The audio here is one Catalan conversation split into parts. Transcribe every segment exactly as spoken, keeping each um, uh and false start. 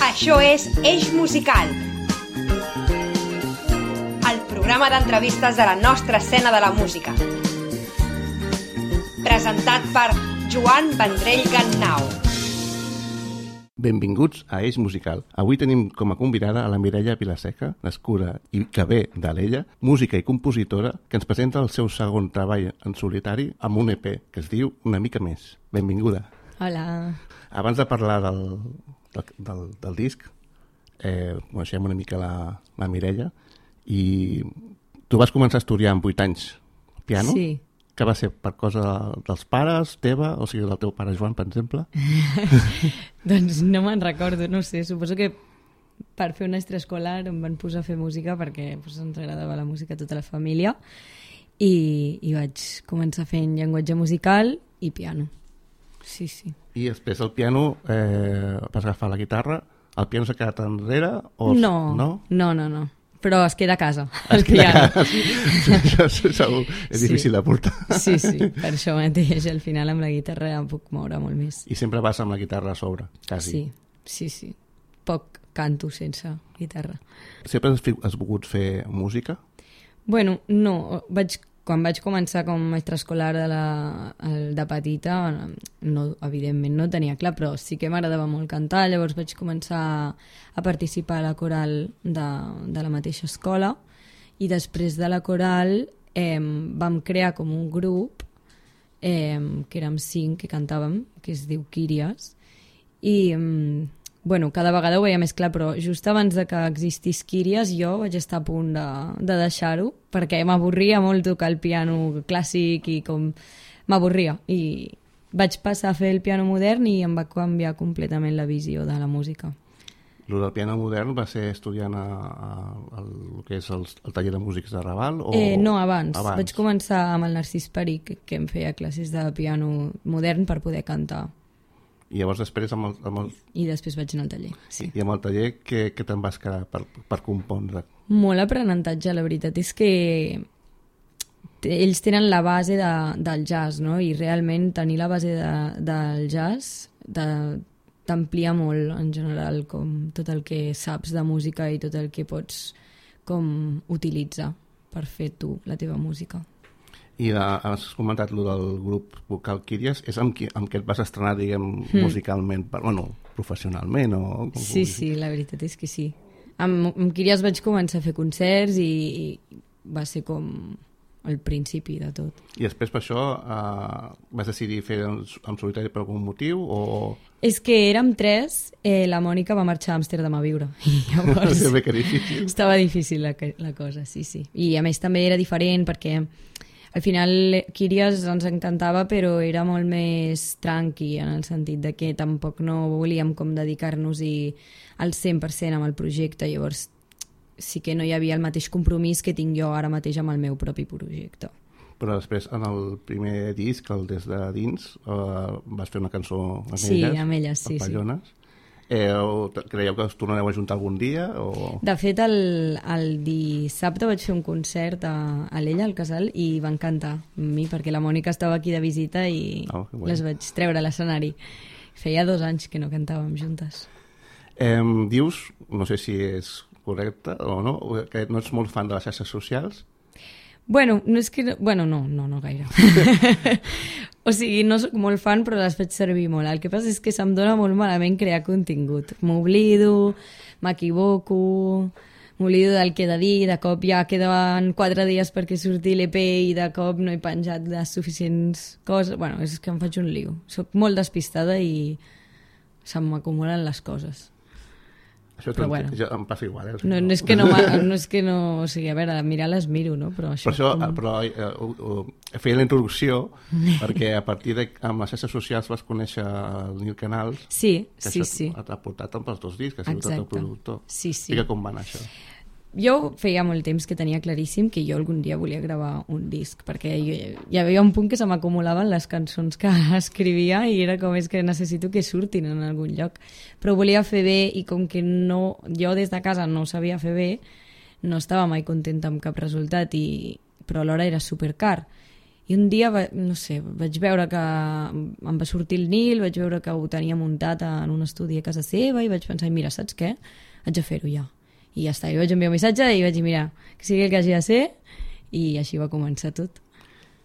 Això és Eix Musical, el programa d'entrevistes de la nostra escena de la música. Presentat per Joan Vendrell Gannau. Benvinguts a Eix Musical. Avui tenim com a convidada a la Mireia Vilaseca, nascuda i que ve d'Alella, música i compositora, que ens presenta el seu segon treball en solitari amb un E P que es diu Una mica més. Benvinguda. Hola. Abans de parlar del, del, del, del disc, eh, coneixem una mica la, la Mireia, i tu vas començar a estudiar amb vuit anys piano? Sí. Que va ser per cosa dels pares, teva, o sigui, del teu pare Joan, per exemple? Doncs no me'n recordo, no sé, suposo que per fer un extraescolar em van posar a fer música perquè pues, ens agradava la música a tota la família i, i vaig començar fent llenguatge musical i piano. Sí, sí. I després el piano, eh, vas agafar la guitarra, el piano s'ha quedat enrere? O... No, no, no, no, no. Però es queda a casa, el el piano. Això segur, és difícil sí. de portar. Sí, sí, per això mateix, al final amb la guitarra em puc moure molt més. I sempre vas amb la guitarra a sobre, quasi. Sí, sí, sí. Poc canto sense guitarra. Sempre has, has volgut fer música? Bueno, no, vaig, quan vaig començar com a extraescolar de, la, de petita, no, evidentment no tenia clar, però sí que m'agradava molt cantar, llavors vaig començar a participar a la coral de, de la mateixa escola i després de la coral eh, vam crear com un grup eh, que érem cinc que cantàvem, que es diu Quíries, i eh, bueno, cada vegada ho veia més clar, però just abans de que existís Quíries jo vaig estar a punt de, de deixar-ho perquè m'avorria molt tocar el piano clàssic i com m'avorria i vaig passar a fer el piano modern i em va canviar completament la visió de la música. El del piano modern va ser estudiant a, a, a, el que és el, el taller de músics de Raval? O... Eh, no, abans. abans. Vaig començar amb el Narcís Peric, que em feia classes de piano modern per poder cantar. I llavors després amb el... Amb el... I després vaig anar al taller, sí. I amb el taller què, què te'n vas quedar per, per compondre? Molt aprenentatge, la veritat és que ells tenen la base de, del jazz, no? I realment tenir la base de, del jazz de, t'amplia molt en general com tot el que saps de música i tot el que pots com utilitzar per fer tu la teva música. I la, has comentat lo del grup vocal Quíries, és amb qui, amb què et vas estrenar, diguem, mm. musicalment, per, bueno, professionalment? O, com sí, sí, la veritat és que sí. Amb, amb Quíries vaig començar a fer concerts i, i va ser com el principi de tot. I després per això eh, vas decidir fer en, en solitari per algun motiu? O... És que érem tres, eh, la Mònica va marxar a Amsterdam a viure. I llavors que difícil. Estava difícil la, la cosa, sí, sí. I a més també era diferent perquè al final Quíries ens encantava però era molt més tranqui en el sentit de que tampoc no volíem com dedicar-nos-hi al cent per cent amb el projecte, llavors sí que no hi havia el mateix compromís que tinc jo ara mateix amb el meu propi projecte. Però després en el primer disc, el Des de dins, eh, vas fer una cançó amb sí, elles, amb elles, sí, Papallones. Sí. Eh, creieu que us tornareu a juntar algun dia? O... De fet, el, el dissabte vaig fer un concert a, a l'Ella, al Casal, i van cantar amb mi, perquè la Mònica estava aquí de visita i oh, les vaig treure a l'escenari. Feia dos anys que no cantàvem juntes. Eh, dius, no sé si és correcte o no, que no ets molt fan de les xarxes socials? Bueno, no és que... Bueno, no, no, no gaire. O sigui, no soc molt fan, però les faig servir molt. El que passa és que se'm dona molt malament crear contingut. M'oblido, m'equivoco, m'oblido del que he de dir, de cop ja queden quatre dies perquè surti l'E P i de cop no he penjat les suficients coses. Bueno, és que em faig un lío. Soc molt despistada i se'm acumulen les coses. Això però bueno, ja em passa igual. Eh? No, no, és que no, no és que no... O sigui, a veure, mirar les miro, no? Però això... Per això, com... però eh, uh, uh, feia la introducció perquè a partir de... amb les xarxes socials vas conèixer el Nil Canals. Sí, que sí, això sí. t'ha portat amb els dos discs, que ha sigut el teu productor. Sí, sí. I que com va anar això? Jo feia molt temps que tenia claríssim que jo algun dia volia gravar un disc, perquè jo, hi havia un punt que se m'acumulaven les cançons que escrivia i era com és que necessito que surtin en algun lloc. Però ho volia fer bé i com que no, jo des de casa no ho sabia fer bé, no estava mai contenta amb cap resultat, i, però alhora era supercar. I un dia, va, no sé, vaig veure que em va sortir el Nil, vaig veure que ho tenia muntat en un estudi a casa seva i vaig pensar, mira, saps què? Haig de fer-ho ja. I ja està, i vaig enviar un missatge i vaig dir, mira, que sigui el que hagi de ser, i així va començar tot.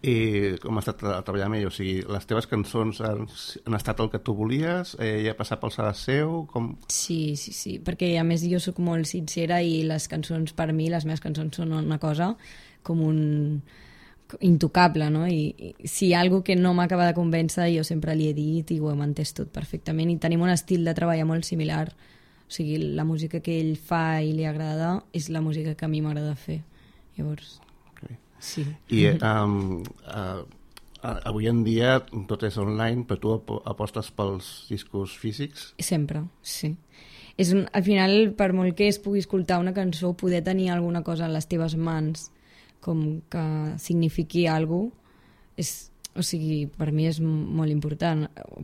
I com ha estat treballar amb ell? O sigui, les teves cançons han, han estat el que tu volies? Eh, ja ha passat pel serà seu? Com... Sí, sí, sí, perquè a més jo sóc molt sincera i les cançons per mi, les meves cançons són una cosa com un intocable, no? I, i si hi ha alguna que no m'acaba de convèncer jo sempre li he dit i ho hem entès tot perfectament i tenim un estil de treball molt similar, o sigui, la música que ell fa i li agrada és la música que a mi m'agrada fer, llavors... Sí. I um, uh, avui en dia tot és online, però tu ap apostes pels discos físics? Sempre, sí. És un, al final, per molt que es pugui escoltar una cançó, poder tenir alguna cosa en les teves mans com que signifiqui alguna cosa, és, o sigui, per mi és molt important.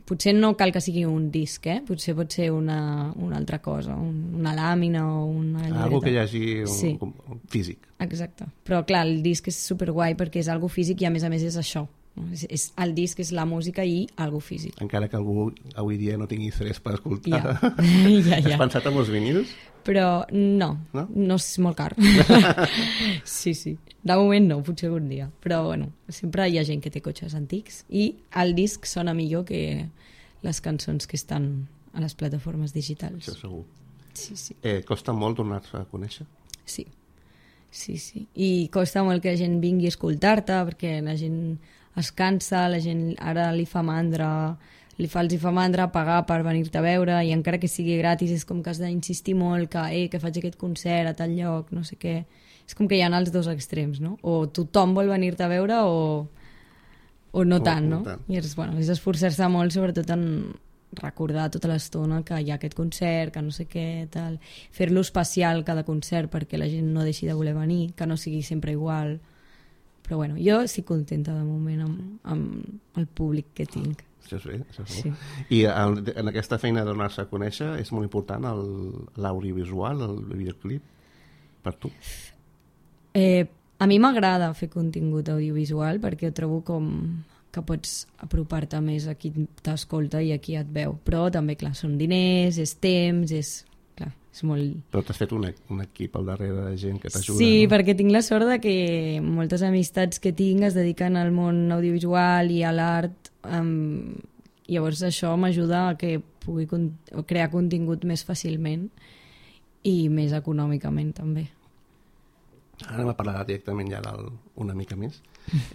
Potser no cal que sigui un disc, eh? Potser pot ser una, una altra cosa, un, una làmina o una llibreta. Algo que hi hagi un, sí. un, un físic. Exacte. Però clar, el disc és superguai perquè és algo físic i a més a més és això. És, és, el disc és la música i algo físic. Encara que algú avui dia no tingui interès per escoltar. Ja. ja, ja. Has pensat en els vinils? Però no, no, no és molt car. sí, sí. De moment no, potser algun dia. Però bueno, sempre hi ha gent que té cotxes antics i el disc sona millor que les cançons que estan a les plataformes digitals. Això segur. Sí, sí. Eh, costa molt donar-se a conèixer? Sí. Sí, sí. I costa molt que la gent vingui a escoltar-te perquè la gent es cansa, la gent ara li fa mandra... li fa, els hi fa mandra pagar per venir-te a veure i encara que sigui gratis és com que has d'insistir molt que, eh, que faig aquest concert a tal lloc, no sé què. És com que hi ha els dos extrems, no? O tothom vol venir-te a veure o, o no o, tant, no? No tant. I és, bueno, és esforçar-se molt, sobretot en recordar tota l'estona que hi ha aquest concert, que no sé què, tal. Fer-lo especial cada concert perquè la gent no deixi de voler venir, que no sigui sempre igual. Però bueno, jo estic contenta de moment amb, amb el públic que tinc. Això és bé, això és sí. I en, en aquesta feina de donar-se a conèixer és molt important l'audiovisual, el, el videoclip, per tu? Eh, a mi m'agrada fer contingut audiovisual perquè ho trobo com que pots apropar-te més a qui t'escolta i a qui et veu. Però també, clar, són diners, és temps, és... Clar, és molt... Però t'has fet un, un equip al darrere de gent que t'ajuda, sí, no? perquè tinc la sort de que moltes amistats que tinc es dediquen al món audiovisual i a l'art. Um, llavors això m'ajuda a que pugui con crear contingut més fàcilment i més econòmicament també. Ara anem a parlar directament ja del, una mica més.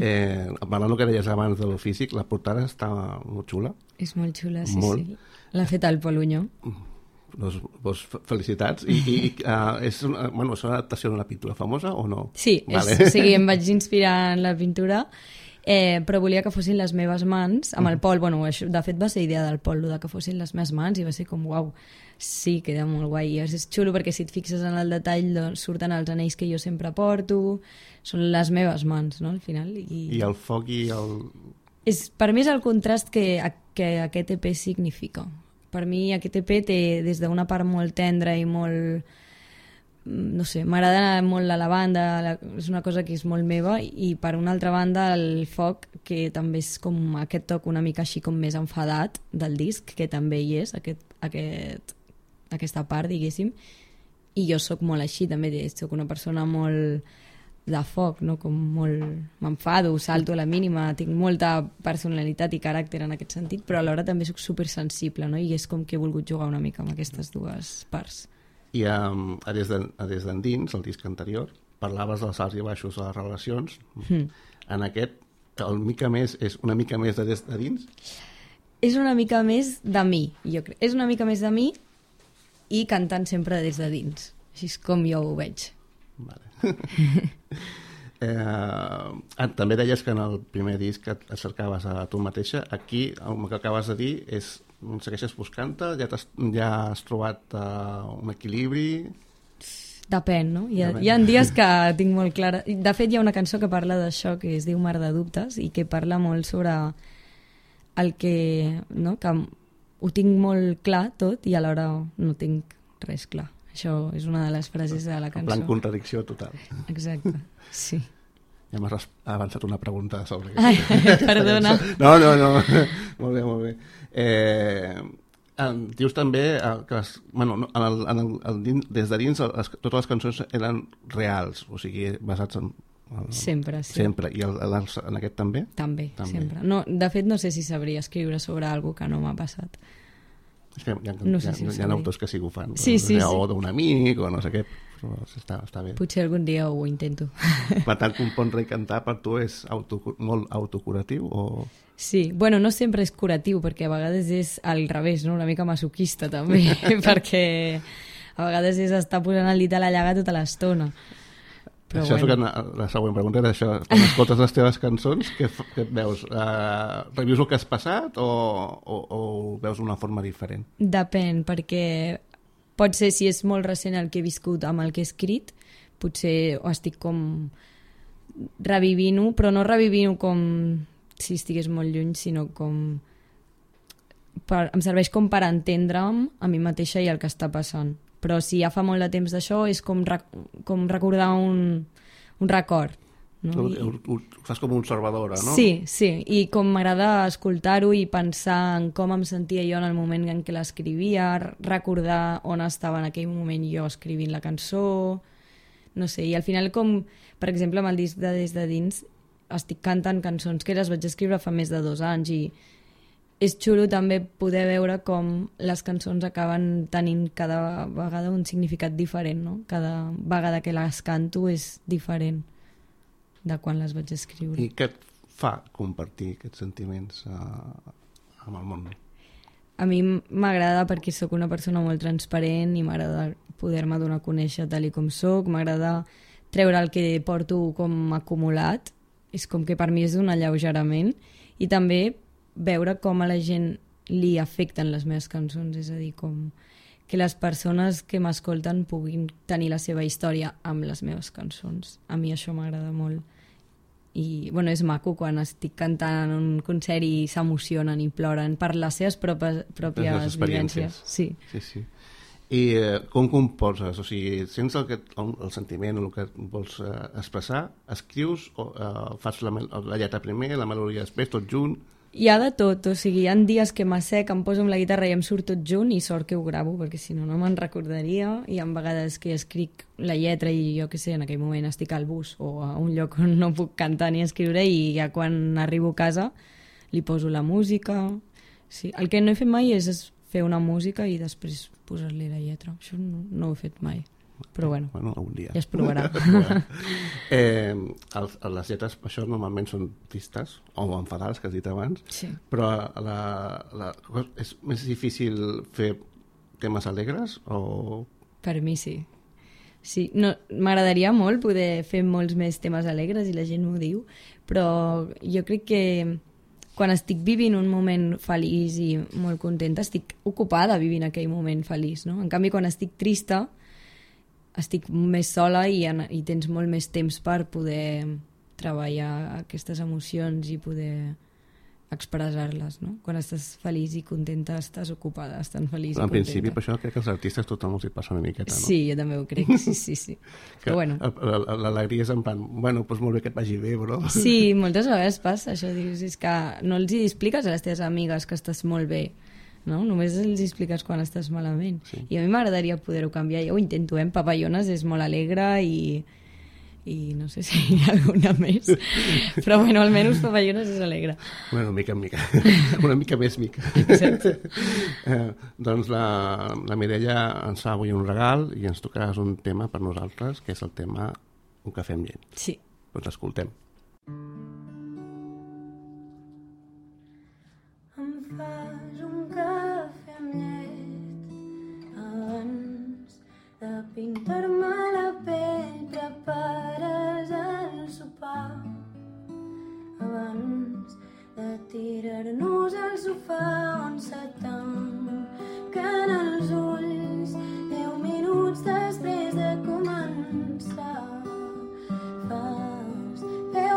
Eh, parlant del que deies abans de lo físic, la portada està molt xula. És molt xula, sí, molt. sí. L'ha fet el Pol Unyó. Doncs, doncs felicitats. I, i uh, és, una, bueno, és una adaptació d'una pintura famosa o no? Sí, vale. és, o sigui, em vaig inspirar en la pintura, eh, però volia que fossin les meves mans. Amb el Pol, bueno, això, de fet va ser idea del Pol, de que fossin les meves mans, i va ser com, uau, sí, queda molt guai. I és xulo perquè si et fixes en el detall doncs, surten els anells que jo sempre porto, són les meves mans, no?, al final. I, I el foc i el... És, per mi és el contrast que, que aquest E P significa. Per mi aquest E P té des d'una part molt tendra i molt, no sé, m'agrada molt la lavanda, la, és una cosa que és molt meva, i per una altra banda el foc, que també és com aquest toc una mica així com més enfadat del disc, que també hi és, aquest, aquest, aquesta part, diguéssim, i jo sóc molt així també, sóc una persona molt de foc, no? Com molt... m'enfado, salto a la mínima, tinc molta personalitat i caràcter en aquest sentit, però alhora també sóc supersensible, no? I és com que he volgut jugar una mica amb aquestes dues parts. I um, a des d'endins, el disc anterior, parlaves dels alts i baixos de les relacions. Mm. En aquest, el mica més és una mica més de des de dins? És una mica més de mi, jo crec. És una mica més de mi i cantant sempre des de dins. Així és com jo ho veig. Vale. eh, també deies que en el primer disc et cercaves a tu mateixa. Aquí el que acabes de dir és segueixes buscant-te? Ja, has, ja has trobat uh, un equilibri? Depèn, no? Hi ha, Depèn. hi ha dies que tinc molt clara... De fet, hi ha una cançó que parla d'això, que es diu Mar de dubtes, i que parla molt sobre el que... No? Que ho tinc molt clar tot i alhora no tinc res clar. Això és una de les frases de la cançó. En plan contradicció total. Exacte, sí. Ja m'has avançat una pregunta sobre... Ai, perdona. No, no, no. Molt bé, molt bé. Eh, dius també que les, bueno, en el, en el, el, des de dins les, totes les cançons eren reals, o sigui, basats en... El, sempre, sí. Sempre. I el, el, en aquest també? També, també, sempre. No, de fet, no sé si sabria escriure sobre alguna que no m'ha passat. És que hi ha, no sé hi ha, si hi ha autors que sí que ho fan. Sí, sí, o sí. d'un amic, o no sé què. Però està, està bé. Potser algun dia ho intento. Per tant, compondre i cantar per tu és auto, molt autocuratiu o... Sí, bueno, no sempre és curatiu, perquè a vegades és al revés, no? Una mica masoquista també, perquè a vegades és estar posant el dit a la llaga tota l'estona. Però això bueno. És que la següent pregunta era això. Quan escoltes les teves cançons, què, què et veus? Uh, revius el que has passat o, o, o ho veus d'una forma diferent? Depèn, perquè pot ser, si és molt recent el que he viscut amb el que he escrit, potser ho estic com revivint-ho, però no revivint-ho com si estigués molt lluny, sinó com... Per, em serveix com per entendre'm a mi mateixa i el que està passant. Però si ja fa molt de temps d'això és com, rec com recordar un, un record. No? I... Ho, ho, ho fas com observadora, no? Sí, sí, i com m'agrada escoltar-ho i pensar en com em sentia jo en el moment en què l'escrivia, recordar on estava en aquell moment jo escrivint la cançó, no sé, i al final com, per exemple, amb el disc de Des de Dins estic cantant cançons que les vaig escriure fa més de dos anys i és xulo també poder veure com les cançons acaben tenint cada vegada un significat diferent, no? Cada vegada que les canto és diferent de quan les vaig escriure. I què et fa compartir aquests sentiments uh, amb el món? A mi m'agrada perquè sóc una persona molt transparent i m'agrada poder-me donar a conèixer tal i com sóc, m'agrada treure el que porto com acumulat, és com que per mi és un alleugerament, i també veure com a la gent li afecten les meves cançons, és a dir, com que les persones que m'escolten puguin tenir la seva història amb les meves cançons. A mi això m'agrada molt. I bueno, és maco quan estic cantant en un concert i s'emocionen i ploren per les seves pròpies, pròpies vivències. Sí. Sí, sí. I eh, com composes? O sigui, sents el, que, el, el sentiment o el que vols eh, expressar, escrius o eh, fas la, la lletra primer, la melodia després, tot junt? Hi ha de tot, o sigui, hi ha dies que m'assec, em poso amb la guitarra i em surt tot junt i sort que ho gravo, perquè si no, no me'n recordaria. Hi ha vegades que escric la lletra i jo que sé, en aquell moment estic al bus o a un lloc on no puc cantar ni escriure i ja quan arribo a casa li poso la música. Sí. El que no he fet mai és fer una música i després posar-li la lletra. Això no, no ho he fet mai. Però bueno, bueno algun dia. Ja es provarà. eh, el, les lletres, això normalment són tristes o enfadades, que has dit abans, sí. Però la, la, és més difícil fer temes alegres o... Per mi sí. Sí, no, m'agradaria molt poder fer molts més temes alegres i la gent m'ho diu, però jo crec que quan estic vivint un moment feliç i molt contenta, estic ocupada vivint aquell moment feliç, no? En canvi, quan estic trista, estic més sola i, i tens molt més temps per poder treballar aquestes emocions i poder expressar-les, no? Quan estàs feliç i contenta, estàs ocupada, estan feliç i contenta. En principi, per això crec que els artistes tothom els hi passa una miqueta, no? Sí, jo també ho crec, sí, sí, sí. Però bueno. L'alegria és en plan, bueno, doncs molt bé que et vagi bé, bro. Sí, moltes vegades passa això, dius, és que no els hi expliques a les teves amigues que estàs molt bé, no? Només els expliques quan estàs malament. Sí. I a mi m'agradaria poder-ho canviar. Jo ho intento, eh? Papallones és molt alegre i, i no sé si hi ha alguna més. Però bueno, almenys Papallones és alegre. Bueno, mica en mica. Una mica més mica. Exacte. eh, doncs la, la Mireia ens fa avui un regal i ens tocaràs un tema per nosaltres, que és el tema Un cafè amb llet. Sí. Doncs escoltem. Pintar-me la pell, prepares el sopar abans de tirar-nos al sofà on se tanquen els ulls deu minuts després de començar. Fas bé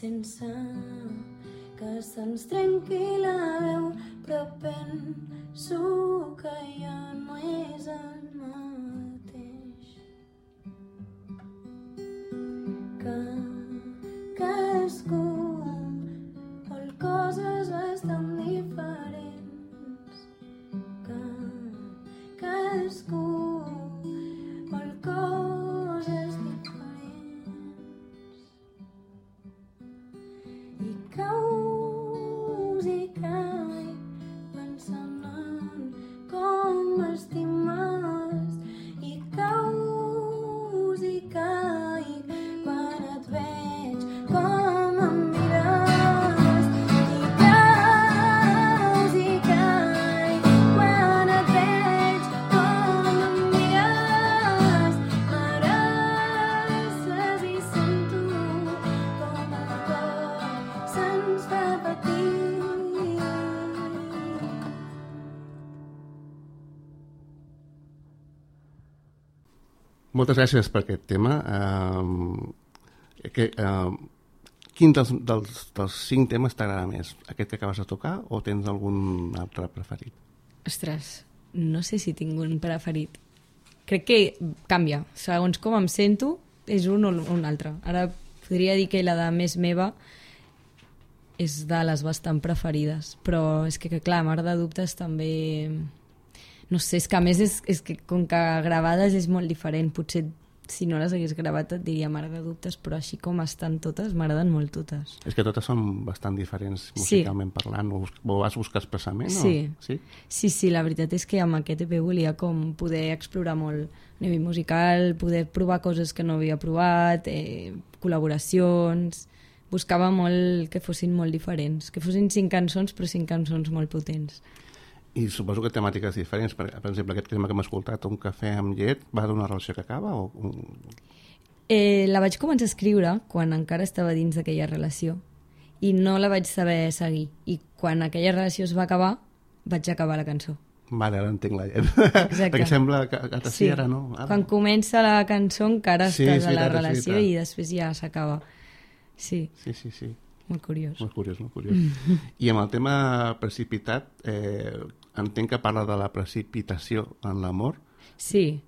sense que se'ns trenqui la veu, però penso que ja no és el mateix, que cadascú vol coses bastant diferents, que cadascú vol coses diferents, i caus i caic pensant en com m'estimes, i caus i caic quan et veig com em mires, i caus i caic quan et veig com em mires, m'abraces i sento com el cor se'ns fa petit. Moltes gràcies per aquest tema. Um, que, um, quin dels, dels, dels cinc temes t'agrada més? Aquest que acabes de tocar o tens algun altre preferit? Ostres, no sé si tinc un preferit. Crec que canvia. Segons com em sento, és un o un altre. Ara podria dir que la de més meva és de les bastant preferides, però és que, que clar, Mar de Dubtes també... No sé, és que a més és, és que com que gravades és molt diferent. Potser si no les hagués gravat et diria Mar de Dubtes, però així com estan totes, m'agraden molt totes. És que totes són bastant diferents musicalment sí. parlant. Ho, ho vas buscar expressament? Sí. O? Sí? Sí, sí, la veritat és que amb aquest E P volia com poder explorar molt a nivell musical, poder provar coses que no havia provat, eh, col·laboracions... Buscava molt que fossin molt diferents, que fossin cinc cançons, però cinc cançons molt potents. I suposo que temàtiques diferents. Per, per exemple, aquest tema que hem escoltat, Un cafè amb llet, va d'una relació que acaba? O... Eh, la vaig començar a escriure quan encara estava dins d'aquella relació i no la vaig saber seguir. I quan aquella relació es va acabar, vaig acabar la cançó. Vale, ara entenc la llet. Exacte. Perquè sembla que, que sí. Ara no. Ara... Quan comença la cançó encara sí, estàs sí, a la veritat, relació i després ja s'acaba. Sí. Sí, sí, sí. Molt curiós. Molt curiós, molt curiós. I amb el tema precipitat, eh, entenc que parla de la precipitació en l'amor. Sí.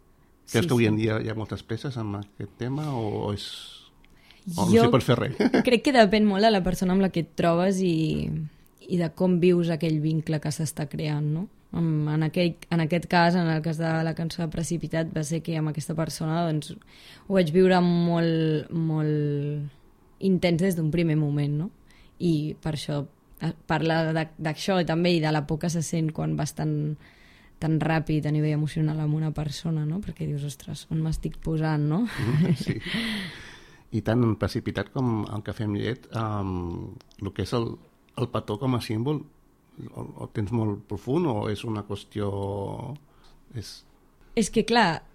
Creus sí, que avui sí. en dia hi ha moltes peces amb aquest tema o és... O Jo no s'hi pot fer res? crec que depèn molt de la persona amb la que et trobes i, i de com vius aquell vincle que s'està creant, no? En, en, aquell, en aquest cas, en el cas de la cançó de Precipitat, va ser que amb aquesta persona doncs, ho vaig viure molt, molt intens des d'un primer moment, no? I per això parla d'això també i de la por que se sent quan vas tan, tan ràpid a nivell emocional amb una persona, no? Perquè dius, ostres, on m'estic posant, no? Sí. I tant precipitat com el cafè amb llet, um, el que és el, el petó com a símbol, o, o tens molt profund o és una qüestió... És, és que, clar,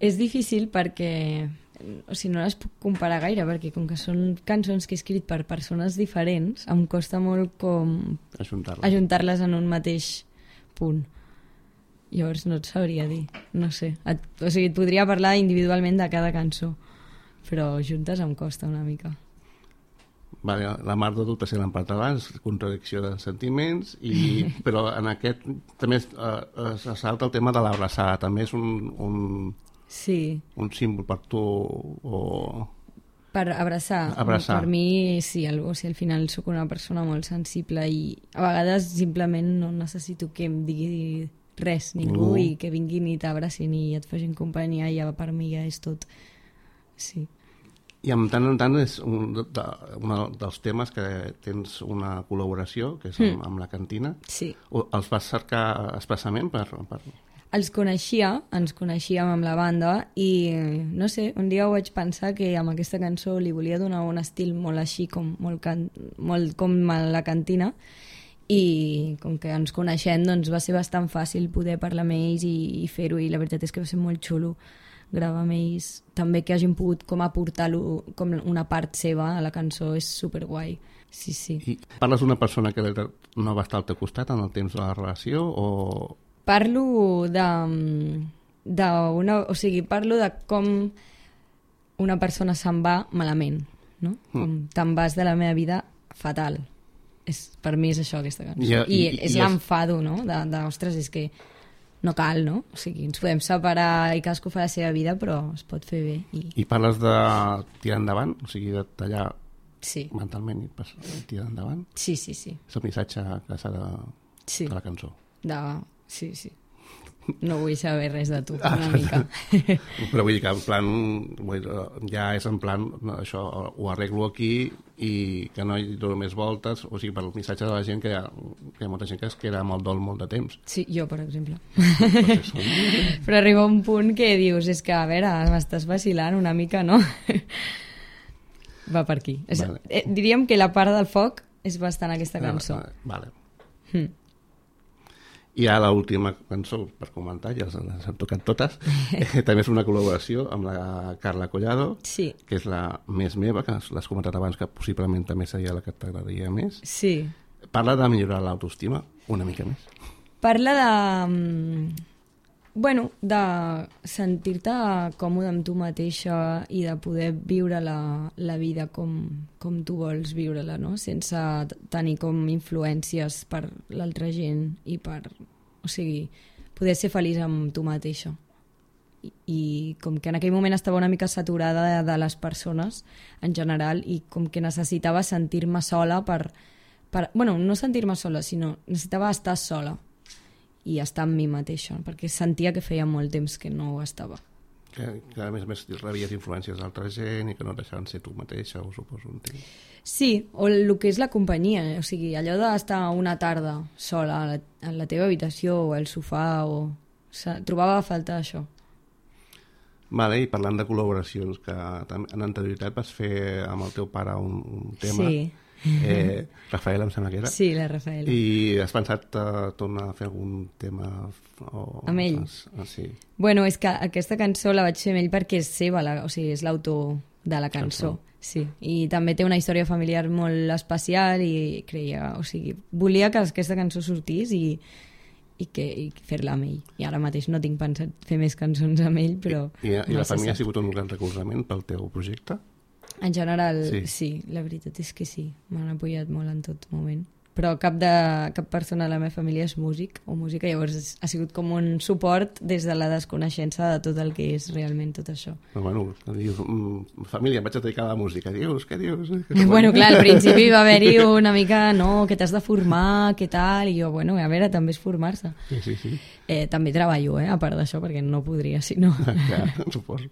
és difícil perquè... O sigui, no les puc comparar gaire, perquè com que són cançons que he escrit per persones diferents, em costa molt com... Ajuntar-les. Ajuntar-les en un mateix punt. Llavors no et sabria dir, no sé. Et, o sigui, et podria parlar individualment de cada cançó, però juntes em costa una mica. Vale, la Mar de Dubtes l'hem parlat abans, contradicció de sentiments, i, però en aquest també es, uh, es salta el tema de l'abraçada, també és un... un... Sí. Un símbol per tu o... Per abraçar. Abraçar. Per mi, sí, al, o sigui, al final sóc una persona molt sensible i a vegades simplement no necessito que em digui res, ningú, uh. i que vinguin i t'abracin i et facin companyia i ja per mi ja és tot. Sí. I en tant en tant és un, de, un dels temes que tens una col·laboració, que és amb, mm. amb la Cantina. Sí. O els vas cercar expressament per... per... Els coneixia, ens coneixíem amb la banda i, no sé, un dia ho vaig pensar que amb aquesta cançó li volia donar un estil molt així, com, molt, can... molt com a la Cantina, i com que ens coneixem doncs va ser bastant fàcil poder parlar amb ells i, i fer-ho, i la veritat és que va ser molt xulo gravar amb ells. També que hagin pogut com aportar-lo com una part seva a la cançó és superguai. Sí, sí. I parles d'una persona que no va estar al teu costat en el temps de la relació o... Parlo de, de una, o sigui, parlo de com una persona se'n va malament, no? Com te'n vas de la meva vida fatal. És, per mi és això, aquesta cançó. I, I, i, és i l'enfado, no? De, de, ostres, és que no cal, no? O sigui, ens podem separar i cadascú fa la seva vida, però es pot fer bé. I, I parles de tirar endavant, o sigui, de tallar sí. mentalment i pas- tirar endavant. Sí, sí, sí. És el missatge que s'ha de, Sí. de la cançó. De... Sí, sí. No vull saber res de tu, una mica. Però vull dir que en plan, vull dir, ja és en plan, no, això ho arreglo aquí i que no hi dono més voltes, o sigui, per el missatge de la gent que hi ha, que hi ha molta gent que es queda amb el dol molt de temps. Sí, jo, per exemple. Perquè són... Però arriba un punt que dius, és que, a veure, m'estàs vacilant una mica, no? Va per aquí. És, Vale. eh, diríem que la part del foc és bastant aquesta cançó. Vale. Hm. I a l'última cançó, per comentar, ja les, les hem tocat totes, eh, també és una col·laboració amb la Carla Collado, Sí, que és la més meva, que l'has comentat abans, que possiblement també seria la que t'agradaria més. sí. Parla de millorar l'autoestima una mica més. Parla de... mm, Bueno, de sentir-te còmode amb tu mateixa i de poder viure la, la vida com, com tu vols viure-la, no? Sense t- tenir com influències per l'altra gent i per... O sigui, poder ser feliç amb tu mateixa. I, i com que en aquell moment estava una mica saturada de, de les persones en general i com que necessitava sentir-me sola per... per bueno, no sentir-me sola, sinó necessitava estar sola i estar amb mi mateixa, perquè sentia que feia molt temps que no ho estava. Que, que a més a més rebies influències d'altra gent i que no et deixaven ser tu mateixa, ho suposo, entenc. Sí, o el que és la companyia, o sigui, allò d'estar una tarda sola a la, a la teva habitació o al sofà, o... o sigui, trobava a falta això. Vale, i parlant de col·laboracions, que tam- en anterioritat vas fer amb el teu pare un, un tema, Sí. eh, Rafael em sembla que era, Sí, la Rafaela. i has pensat uh, tornar a fer algun tema o, Amb ell? Ah, sí. Bueno, és que aquesta cançó la vaig fer amb ell perquè és seva, la, o sigui, és l'autor de la cançó. Sí, i també té una història familiar molt especial i creia, o sigui, volia que aquesta cançó sortís i, i, que, i fer-la amb ell. I ara mateix no tinc pensat fer més cançons amb ell, però... I, i no la se família ha sap. sigut un gran recolzament pel teu projecte? En general, Sí. sí. sí, la veritat és que sí, m'han apoyat molt en tot moment. Però cap, de, cap persona de la meva família és músic o música, llavors és- ha sigut com un suport des de la desconeixença de tot el que és realment tot això. Però bueno, dius, mm, família, em vaig a dedicar a la música. Dius, què dius? Bueno, clar, al principi va haver-hi una mica, no, que t'has de formar, què tal, i jo, bueno, a veure, també és formar-se. Sí, sí, sí. Eh, també treballo, eh, a part d'això, perquè no podria, si no. Ja, suposo.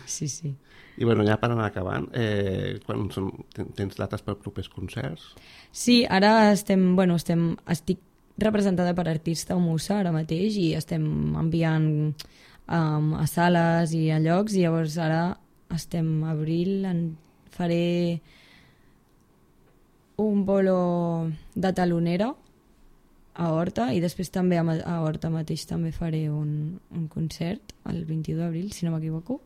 Sí, sí. I bueno, ja per anar acabant, eh, quan són, ten- tens dates per propers concerts? Sí, ara estem, bueno, estem, estic representada per Artista o Musa ara mateix i estem enviant um, a sales i a llocs i llavors ara estem a abril, en faré un bolo de talonera a Horta i després també a, Ma- a Horta mateix també faré un, un concert el vint-i-u d'abril, si no m'equivoco.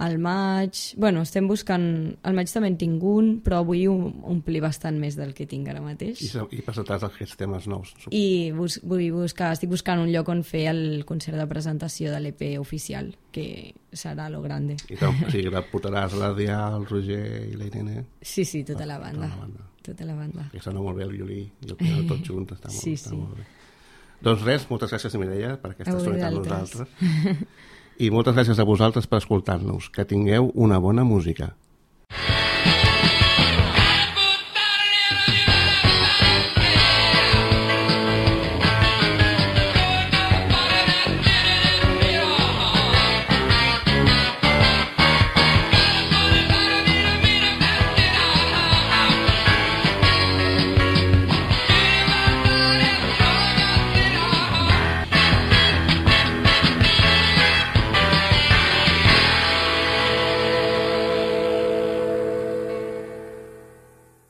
Al maig... Bueno, estem buscant... Al maig també en tinc un, però vull om- omplir bastant més del que tinc ara mateix. I, se- i presentaràs aquests temes nous. suposo. I bus vull buscar, estic buscant un lloc on fer el concert de presentació de l'E P oficial, que serà lo grande. I tam- o sigui, la portaràs l'Adrià, el Roger i la Irene. Sí, sí, tota la banda. Tota la banda. Tota la banda. Que sona molt bé el violí i el piano tots junts. Està molt, Sí, està sí. molt bé. Doncs res, moltes gràcies, Mireia, per aquesta A estona amb vosaltres. nosaltres. I moltes gràcies a vosaltres per escoltar-nos. Que tingueu una bona música.